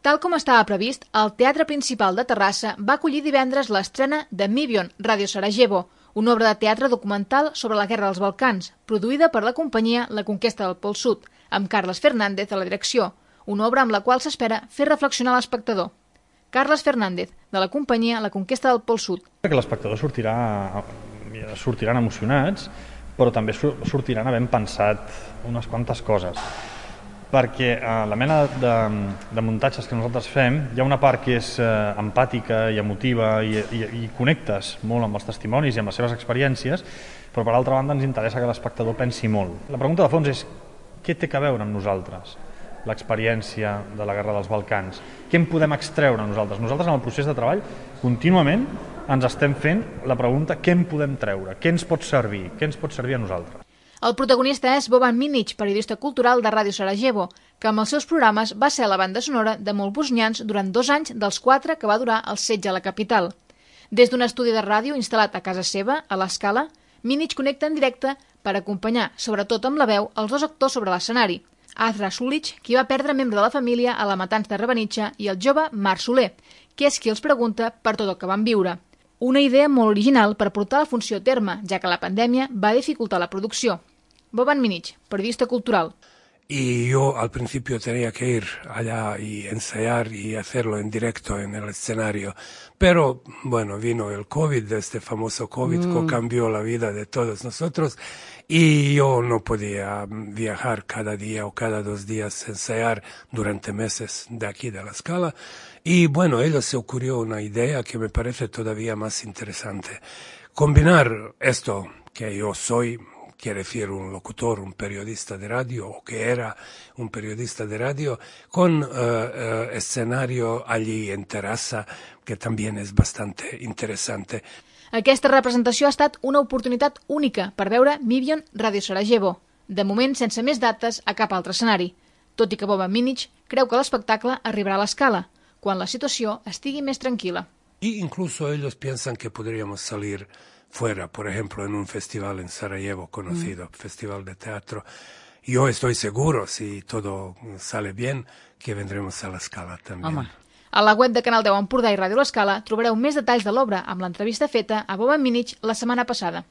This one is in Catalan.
Tal com estava previst, el Teatre Principal de Terrassa va acollir divendres l'estrena de Mivion, Radio Sarajevo, una obra de teatre documental sobre la Guerra dels Balcans, produïda per la companyia La Conquesta del Pol Sud, amb Carles Fernández a la direcció, una obra amb la qual s'espera fer reflexionar l'espectador. Carles Fernández, de la companyia La Conquesta del Pol Sud. Que l'espectador sortiran emocionats, però també sortiran havent pensat unes quantes coses. Perquè la mena de muntatges que nosaltres fem, hi ha una part que és empàtica i emotiva i connectes molt amb els testimonis i amb les seves experiències, però per altra banda ens interessa que l'espectador pensi molt. La pregunta de fons és què té a veure amb nosaltres l'experiència de la Guerra dels Balcans? Què en podem extreure nosaltres? Nosaltres en el procés de treball contínuament ens estem fent la pregunta què en podem treure, què ens pot servir, què ens pot servir a nosaltres. El protagonista és Boban Minic, periodista cultural de Ràdio Sarajevo, que amb els seus programes va ser la banda sonora de molts bosnians durant 2 anys dels 4 que va durar el setge a la capital. Des d'un estudi de ràdio instal·lat a casa seva, a l'Escala, Minic connecta en directe per acompanyar, sobretot amb la veu, els 2 actors sobre l'escenari, Azra Sulic, qui va perdre membre de la família a la matança de Srebrenica, i el jove Marc Soler, que és qui els pregunta per tot el que van viure. Una idea molt original per portar la funció a terme, ja que la pandèmia va dificultar la producció. Boban Minic, periodista cultural. Y yo al principio tenía que ir allá y ensayar y hacerlo en directo en el escenario. Pero, bueno, vino el COVID, este famoso COVID que cambió la vida de todos nosotros. Y yo no podía viajar cada día o cada 2 días, ensayar durante meses de aquí de la Scala. Y bueno, a ellos se ocurrió una idea que me parece todavía más interesante. Combinar esto que yo soy, quiere decir un locutor, un periodista de radio, o que era un periodista de radio, con escenario allí en Terrassa, que también es bastante interessante. Aquesta representació ha estat una oportunitat única per veure Mivion Radio Sarajevo, de moment sense més dates a cap altre escenari, tot i que Boban Minic creu que l'espectacle arribarà a l'Escala, quan la situació estigui més tranquil·la. Y incluso ellos piensan que podríamos salir fuera, por ejemplo, en un festival en Sarajevo conocido, Festival de Teatro. Yo estoy seguro, si todo sale bien, que vendremos a la Scala también. Home. A la web de Canal 10 Empordà i Ràdio L'Escala trobareu més detalls de l'obra amb l'entrevista feta a Boban Minic la setmana passada.